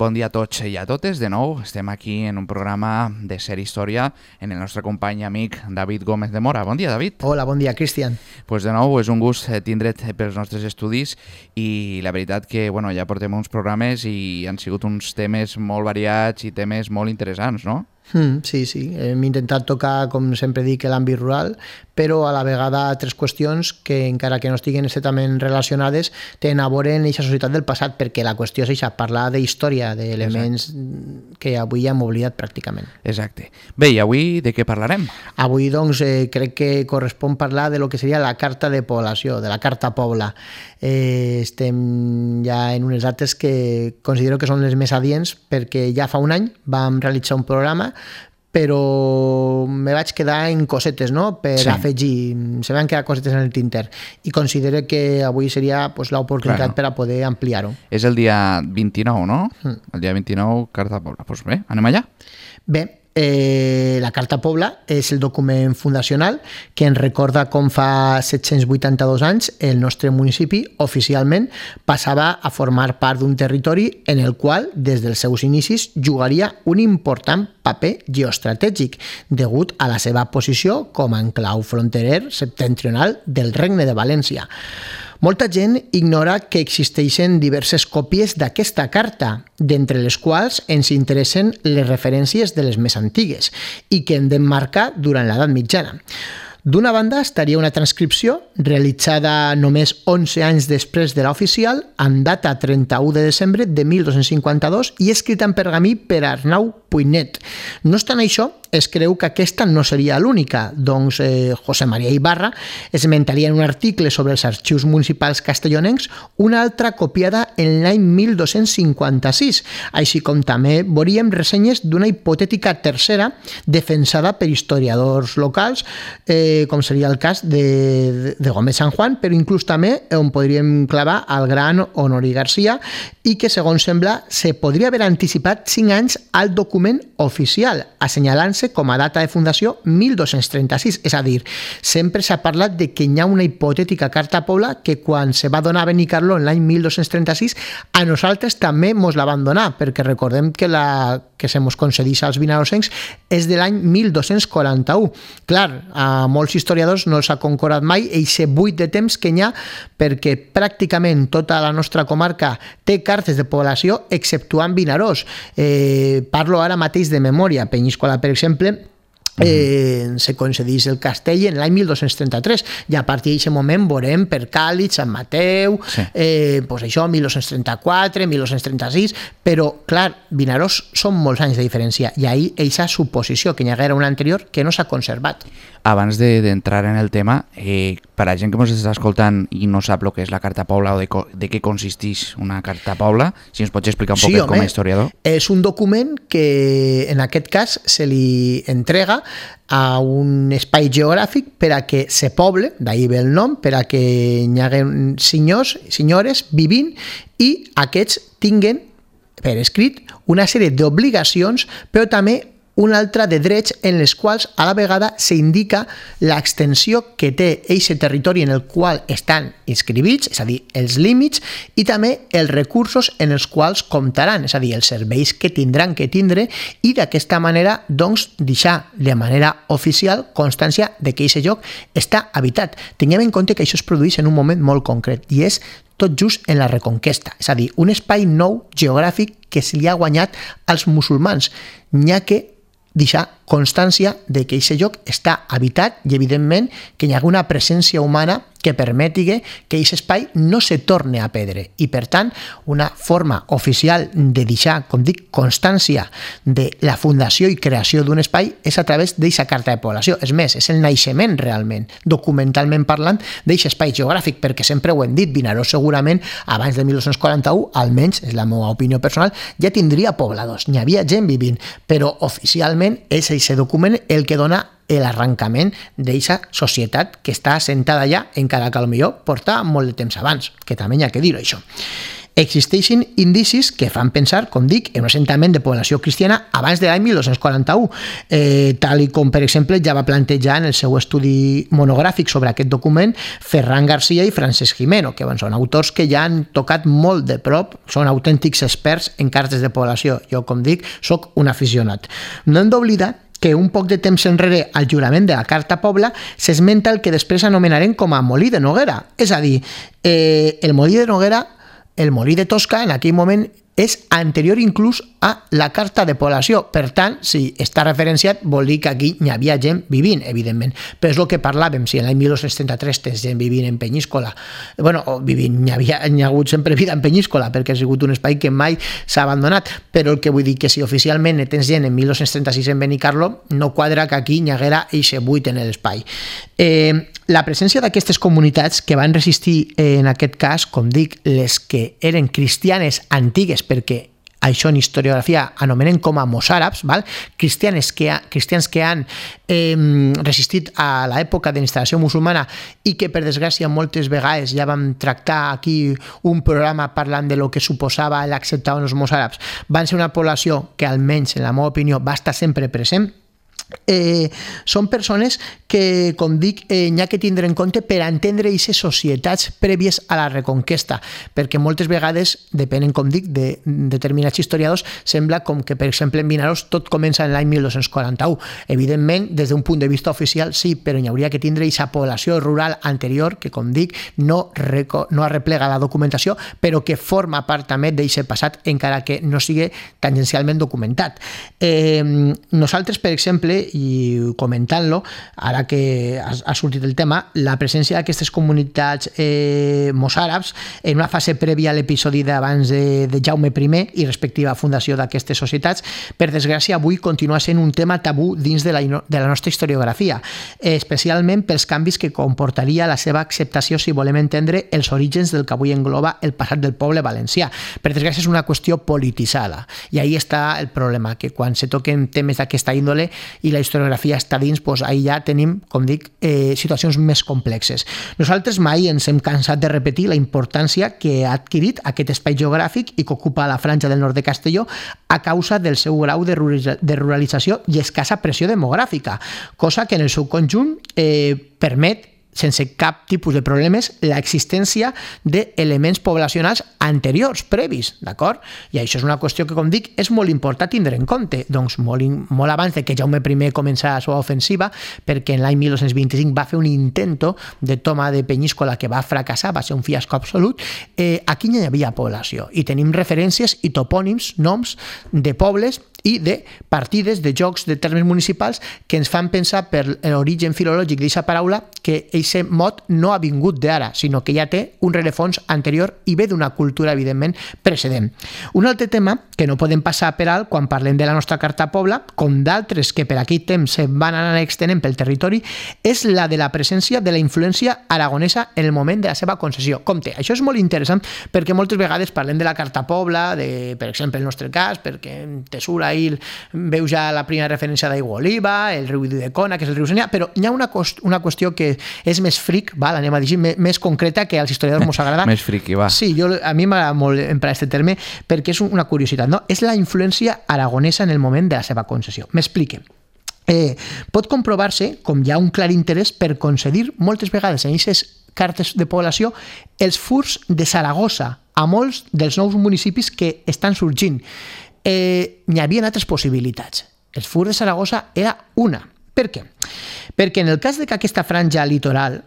Bon dia a tots i a totes. De nou estem aquí en un programa de Ser Història en el nostre company i amic David Gómez de Mora. Bon dia, David. Hola, bon dia, Cristian. Pues de nou és un gust tindre't pels nostres estudis i la veritat que ja portem uns programes i han sigut uns temes molt variats i temes molt interessants, no? Sí. Hem intentat tocar, com sempre dic, l'àmbit rural, però a la vegada tres qüestions que, encara que no estiguen estretament relacionades, tenen a veure en aquesta societat del passat, perquè la qüestió és parlar de història, d'elements que avui hem oblidat pràcticament. Exacte. Bé, i avui de què parlarem? Avui, doncs, crec que correspon parlar de lo que seria la Carta de Població, de la Carta Pobla. Estem ja en unes dates que considero que són les més adients, perquè ja fa un any vam realitzar un programa, però me vaig quedar en cosetes, no?, per afegir. Se van quedar cosetes en el tinter i considero que avui seria l'oportunitat per a poder ampliar-ho. És el dia 29, no? El dia 29, Carta Pobla. Doncs bé, anem allà? Bé, la Carta Pobla és el document fundacional que ens recorda com fa 782 anys el nostre municipi oficialment passava a formar part d'un territori en el qual des dels seus inicis jugaria un important paper geoestratègic degut a la seva posició com a enclau fronterer septentrional del Regne de València. Molta gent ignora que existeixen diverses còpies d'aquesta carta, d'entre les quals ens interessen les referències de les més antigues i que hem d'emmarcar durant l'edat mitjana. D'una banda estaria una transcripció realitzada només 11 anys després de l'oficial, en data 31 de desembre de 1252 i escrita en pergamí per Arnau Puignet. No obstant això, es creu que aquesta no seria l'única, doncs José María Ibarra esmentaria en un article sobre els arxius municipals castellonencs una altra copiada en l'any 1256, així com també veuríem ressenyes d'una hipotètica tercera defensada per historiadors locals, com seria el cas de Gómez San Juan, però inclús també on podríem clavar el gran Honori Garcia i que, segons sembla, se podria haver anticipat 5 anys al document oficial, assenyalant-se com a data de fundació 1236, és a dir, sempre s'ha parlat de que hi ha una hipotètica Carta Pobla que quan se va donar a Benicarló en l'any 1236 a nosaltres també mos la van donar, perquè recordem que la que se mos concedeix als vinarosencs és de l'any 1241. Clar, a molts historiadors no els ha concordat mai aquest buit de temps que hi ha, perquè pràcticament tota la nostra comarca té cartes de població exceptuant Vinaròs. Parlo ara mateix de memòria. Penyíscola, per exemple, se concedeix el castell en l'any 1233 i a partir d'aquest moment veurem per Càlig, Sant Mateu, doncs això, 1234, 1236, però clar, Vinaròs són molts anys de diferència i ahir aquesta suposició que hi haguera una anterior que no s'ha conservat. Abans d'entrar en el tema, per a gent que ens està escoltant i no sap el que és la Carta Pobla o de què consisteix una Carta Pobla, si ens pots explicar un poquet com a historiador. És un document que en aquest cas se li entrega a un espai geogràfic per a que se poble, d'ahir ve el nom, per a que hi hagi senyors, senyores vivint i aquests tinguen per escrit una sèrie d'obligacions, però també una altra de drets en les quals a la vegada s'indica l'extensió que té aquest territori en el qual estan inscrivits, és a dir, els límits, i també els recursos en els quals comptaran, és a dir, els serveis que tindran que tindre, i d'aquesta manera, doncs, deixar de manera oficial constància de que aquest lloc està habitat. Tinguem en compte que això es produeix en un moment molt concret, i és tot just en la Reconquesta, és a dir, un espai nou geogràfic que se li ha guanyat als musulmans, n'hi ha que deixar constància de que aquest lloc està habitat i, evidentment, que hi ha una presència humana que permeti que aquest espai no se torni a perdre. I, per tant, una forma oficial de deixar, com dic, constància de la fundació i creació d'un espai és a través d'aquesta Carta de Població. És més, és el naixement realment, documentalment parlant, d'aquest espai geogràfic, perquè sempre ho hem dit, Vinaròs segurament, abans de 1241, almenys, és la meva opinió personal, ja tindria pobladors, n'hi havia gent vivint, però oficialment és aquest document el que dona l'arrencament d'aquesta societat que està assentada allà, encara que potser porta molt de temps abans, que també hi ha que dir-ho, això. Existeixen indicis que fan pensar, com dic, en un assentament de població cristiana abans de l'any 1241, tal i com, per exemple, ja va plantejar en el seu estudi monogràfic sobre aquest document Ferran Garcia i Francesc Gimeno, que són autors que ja han tocat molt de prop, són autèntics experts en cartes de població. Jo, com dic, sóc un aficionat. No hem d'oblidar que un poc de temps enrere al jurament de la Carta Pobla s'esmenta el que després anomenarem com a Molí de Noguera. És a dir, el Molí de Noguera, el Molí de Tosca, en aquell moment és anterior inclús a la Carta de Població. Per tant, si està referenciat, vol dir que aquí hi havia gent vivint, evidentment. Però és el que parlàvem, si en l'any 1273 tens gent vivint en Penyíscola, hi ha hagut sempre vida en Penyíscola, perquè ha sigut un espai que mai s'ha abandonat, però el que vull dir que si oficialment tens gent en 1236 en Benicarló, no quadra que aquí hi haguera eixe buit en l'espai. La presència d'aquestes comunitats que van resistir, en aquest cas, com dic, les que eren cristianes antigues, perquè això en historiografia anomenen com a mossàrabs, cristians que han resistit a l'època de l'instal·lació musulmana i que, per desgràcia, moltes vegades ja vam tractar aquí un programa parlant de lo que suposava l'acceptar els mossàrabs, van ser una població que, almenys en la meva opinió, va estar sempre present. Són persones que, com dic, n'hi ha que tindre en compte per entendre aquestes societats prèvies a la Reconquesta, perquè moltes vegades, depenent, com dic, de determinats historiadors, sembla com que, per exemple, en Vinaròs tot comença en l'any 1241. Evidentment, des d'un punt de vista oficial, sí, però hi hauria que tindre aquesta població rural anterior, que, com dic, no arreplega la documentació, però que forma part també d'aquest passat, encara que no sigui tangencialment documentat. Nosaltres, per exemple, i comentant-lo, ara que ha sortit el tema, la presència d'aquestes comunitats mossàrabs en una fase prèvia a l'episodi d'abans de Jaume I i respectiva fundació d'aquestes societats, per desgràcia avui continua sent un tema tabú dins de la nostra historiografia, especialment pels canvis que comportaria la seva acceptació si volem entendre els orígens del que avui engloba el passat del poble valencià. Per desgràcia és una qüestió polititzada i ahí està el problema, que quan se toquen temes d'aquesta índole i la historiografia està dins, doncs ahí ja tenim, com dic, situacions més complexes. Nosaltres mai ens hem cansat de repetir la importància que ha adquirit aquest espai geogràfic i que ocupa la franja del nord de Castelló a causa del seu grau de ruralització i escassa pressió demogràfica, cosa que en el seu conjunt permet sense cap tipus de problemes l'existència d'elements poblacionals anteriors, previs, d'acord? I això és una qüestió que, com dic, és molt important tindre en compte, doncs molt abans de que Jaume I començà la seva ofensiva, perquè en l'any 1225 va fer un intento de toma de Penyíscola que va fracassar, va ser un fiasco absolut, aquí no hi havia població, i tenim referències i topònims, noms de pobles i de partides, de jocs, de termes municipals que ens fan pensar per l'origen filològic d'aquesta paraula que aquest mot no ha vingut d'ara, sinó que ja té un rerefons anterior i ve d'una cultura, evidentment, precedent. Un altre tema que no podem passar per alt quan parlem de la nostra Carta Pobla, com d'altres que per aquell temps se van anar extenent pel territori, és la de la presència de la influència aragonesa en el moment de la seva concessió. Compte, això és molt interessant perquè moltes vegades parlem de la Carta Pobla, per exemple, el nostre cas, perquè en Tesura ahir veu ja la primera referència d'Aigua Oliva, el riu d'Udecona, que és el riu Senya, però hi ha una qüestió que és més fric, anem a dir, més concreta, que als historiadors ens agrada. Més friqui, va. Sí, a mi m'agrada molt emprar aquest terme perquè és una curiositat, no? És la influència aragonesa en el moment de la seva concessió. M'explique. Pot comprovar-se com hi ha un clar interès per concedir moltes vegades en aquestes cartes de població els furs de Saragossa a molts dels nous municipis que estan sorgint. N'hi havia altres possibilitats. El fur de Saragossa era una. Per què? Perquè en el cas de que aquesta franja litoral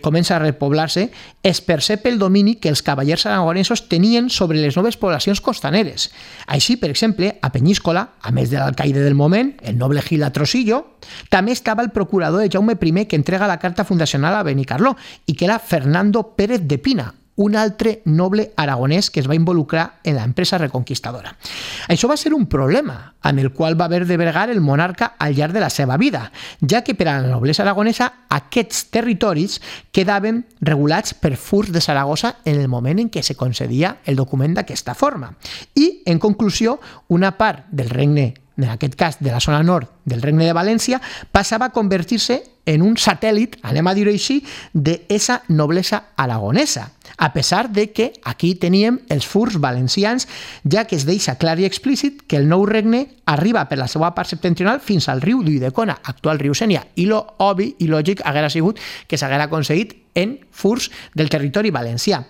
comença a repoblar-se, es percep el domini que els cavallers aragonesos tenien sobre les noves poblacions costaneres. Així, per exemple, a Penyíscola, a més de l'alcaide del moment, el noble Gil Atrosillo, també estava el procurador de Jaume I que entrega la carta fundacional a Benicarló i que era Fernando Pérez de Pina, un altre noble aragonès que es va involucrar en l'empresa reconquistadora. Això va ser un problema amb el qual va haver de bregar el monarca al llarg de la seva vida, ja que per a la noblesa aragonesa aquests territoris quedaven regulats per furs de Saragossa en el moment en què se concedia el document d'aquesta forma. I, en conclusió, una part del regne en aquest cas de la zona nord del Regne de València, passava a convertir-se en un satèl·lit, anem a dir-ho així, d'esa noblesa aragonesa, a pesar de que aquí teníem els furs valencians, ja que es deixa clar i explícit que el nou regne arriba per la seva part septentrional fins al riu d'Ulldecona, actual riu Sénia, i lo obvi i lògic haguera sigut que s'haguera aconseguit en furs del territori valencià.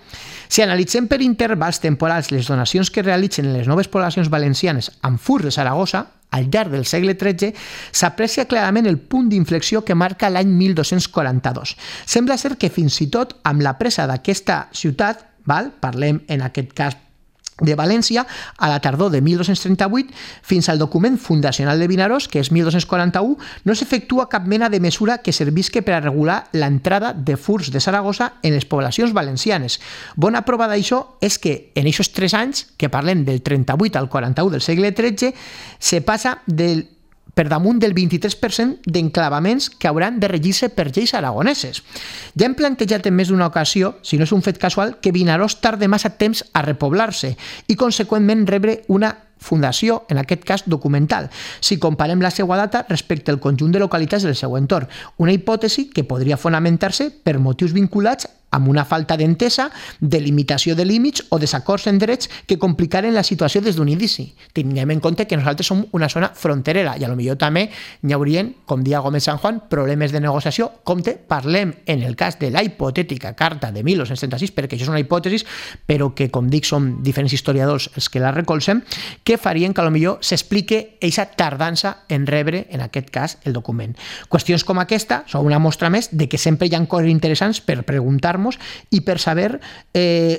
Si analitzem per intervals temporals les donacions que realitzen les noves poblacions valencianes amb furs de Saragossa, al llarg del segle XIII, s'aprecia clarament el punt d'inflexió que marca l'any 1242. Sembla ser que fins i tot amb la presa d'aquesta ciutat, parlem en aquest cas de València, a la tardor de 1238, fins al document fundacional de Vinaròs, que és 1241, no s'efectua cap mena de mesura que servisca per a regular l'entrada de furs de Saragossa en les poblacions valencianes. Bona prova d'això és que en aquests 3 anys, que parlem del 38 al 41 del segle XIII, se passa per damunt del 23% d'enclavaments que hauran de regir-se per lleis aragoneses. Ja hem plantejat en més d'una ocasió, si no és un fet casual, que Vinaròs tarda massa temps a repoblar-se i, conseqüentment, rebre una fundació, en aquest cas documental, si comparem la seva data respecte al conjunt de localitats del seu entorn. Una hipòtesi que podria fonamentar-se per motius vinculats amb una falta d'entesa, delimitació de límits o desacords en drets que complicaren la situació des d'un inici. Tinguem en compte que nosaltres som una zona fronterera i potser també hi haurien, com dia Gómez San Juan, problemes de negociació. Compte, parlem en el cas de la hipotètica carta de 1236, perquè això és una hipòtesi, però que, com dic, som diferents historiadors els que la recolzem, que farien que potser s'explique aquesta tardança en rebre, en aquest cas, el document. Qüestions com aquesta són una mostra més de que sempre hi ha coses interessants per preguntar i per saber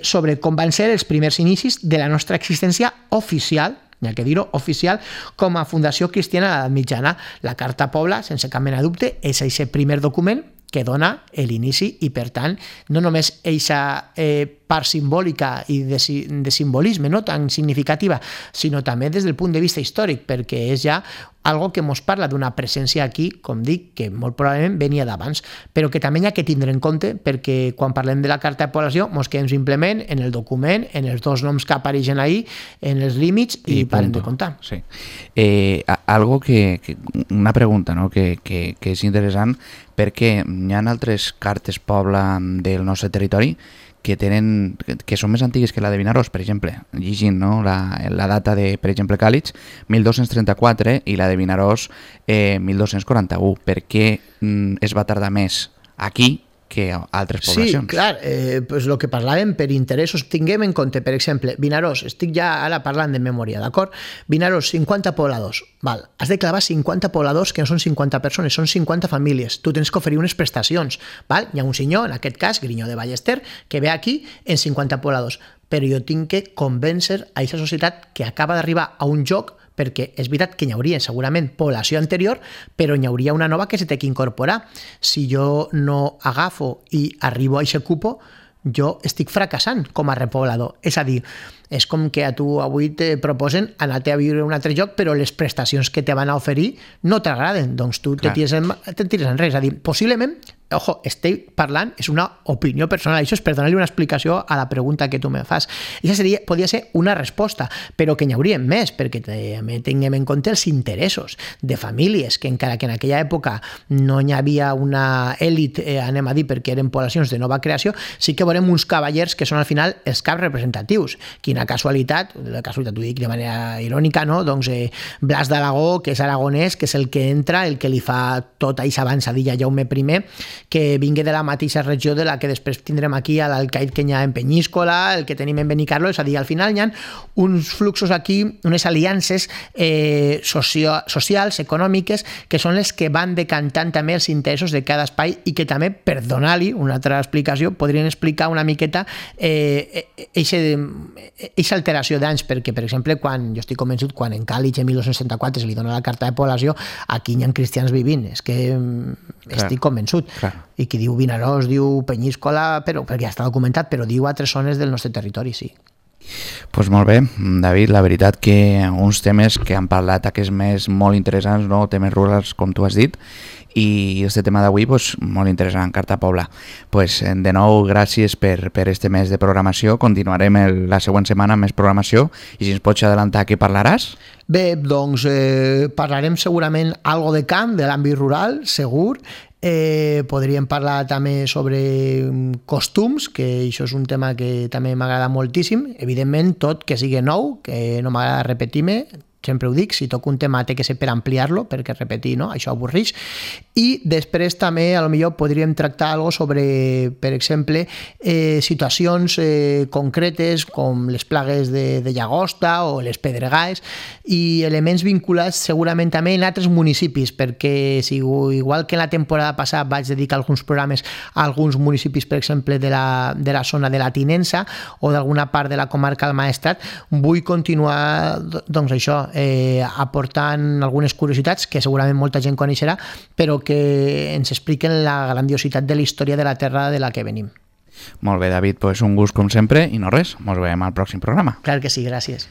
sobre com van ser els primers inicis de la nostra existència oficial, hi ha que dir-ho, oficial, com a fundació cristiana a l'edat mitjana. La Carta Pobla, sense cap mena de dubte, és aquest primer document que dona l'inici i, per tant, no només aquesta part simbòlica i de simbolisme no tan significativa, sinó també des del punt de vista històric, perquè és ja algo que ens parla d'una presència aquí, com dic, que molt probablement venia d'abans, però que també hi ha que tindre en compte, perquè quan parlem de la Carta de Població ens quedem simplement en el document, en els 2 noms que apareixen ahí, en els límits i parem de comptar. Sí. Una pregunta, no? que és interessant, perquè hi ha altres cartes pobla del nostre territori que són més antigues que la de Vinaròs, per exemple, llegint la data de, per exemple, Càlig, 1234, i la de Vinaròs, 1241. Per què es va tardar més aquí que a altres poblacions? Sí, clar, pues el que parlàvem per interessos, tinguem en compte, per exemple, Vinaròs, estic ja ara parlant de memòria, d'acord? Vinaròs, 50 pobladors, val, has de clavar 50 pobladors que no són 50 persones, són 50 famílies, tu tens que oferir unes prestacions, val? Hi ha un senyor, en aquest cas, Grinyó de Ballester, que ve aquí en 50 pobladors, però jo tinc que convèncer a aquesta societat que acaba d'arribar a un lloc, perquè és veritat que hi hauria segurament població anterior, però hi hauria una nova que se té que incorporar. Si jo no agafo i arribo a aquest cupo, jo estic fracassant com a repoblador. És a dir, és com que a tu avui te proposen anar-te a viure a un altre lloc, però les prestacions que te van a oferir no t'agraden, doncs tu te tires en res. És a dir, possiblement, ojo, estic parlant, és una opinió personal, això és per donar-li una explicació a la pregunta que tu me fas. Això podria ser una resposta, però que n'hi hauria més, perquè també tinguem en compte els interessos de famílies, que encara que en aquella època no hi havia una èlit, anem a dir, perquè eren poblacions de nova creació, sí que veurem uns cavallers que són al final els caps representatius. Quina casualitat, la casualitat ho dic de manera irònica, no? Doncs Blas d'Aragó, que és aragonès, que és el que entra, el que li fa tota aquesta avançadilla a Jaume I, que vingui de la mateixa regió de la que després tindrem aquí a l'alcaid que hi ha en Penyíscola, el que tenim en Benicarló, és a dir, al final hi ha uns fluxos aquí, unes aliances socials, econòmiques, que són les que van decantant també els interessos de cada espai i que també, per donar-li una altra explicació, podrien explicar una miqueta aquesta alteració d'anys, perquè, per exemple, quan jo estic convençut, quan en Càlig en 1264 se li dona la Carta de Població, aquí hi ha cristians vivint, és que estic convençut. I qui diu Vinaròs, diu Penyíscola, però perquè ja està documentat, però diu altres zones del nostre territori, sí. Pues molt bé, David, la veritat que uns temes que han parlat aquests més molt interessants, no? Temes rurals, com tu has dit, i este tema d'avui pues, molt interessant, Carta Pobla. Pues, de nou, gràcies per este mes de programació. Continuarem la següent setmana amb més programació i si ens pots adelantar què parlaràs? Bé, doncs parlarem segurament algo de camp, de l'àmbit rural, segur. Podríem parlar també sobre costums, que això és un tema que també m'agrada moltíssim. Evidentment, tot que sigui nou, que no m'agrada repetir-me, sempre ho dic, si toco un tema té que ser per ampliar-lo, perquè repetir, no? Això avorreix. I després també, a lo millor, podríem tractar algo sobre, per exemple, situacions concretes com les plagues de llagosta o les pedregades i elements vinculats segurament també en altres municipis, perquè si, igual que en la temporada passada vaig dedicar alguns programes a alguns municipis, per exemple, de la zona de la Tinença o d'alguna part de la comarca del Maestrat, vull continuar, doncs això, aportant algunes curiositats que segurament molta gent coneixerà, però que ens expliquen la grandiositat de la història de la terra de la que venim. Molt bé, David, pues un gust com sempre i no res, ens veiem al pròxim programa. Clar que sí, gràcies.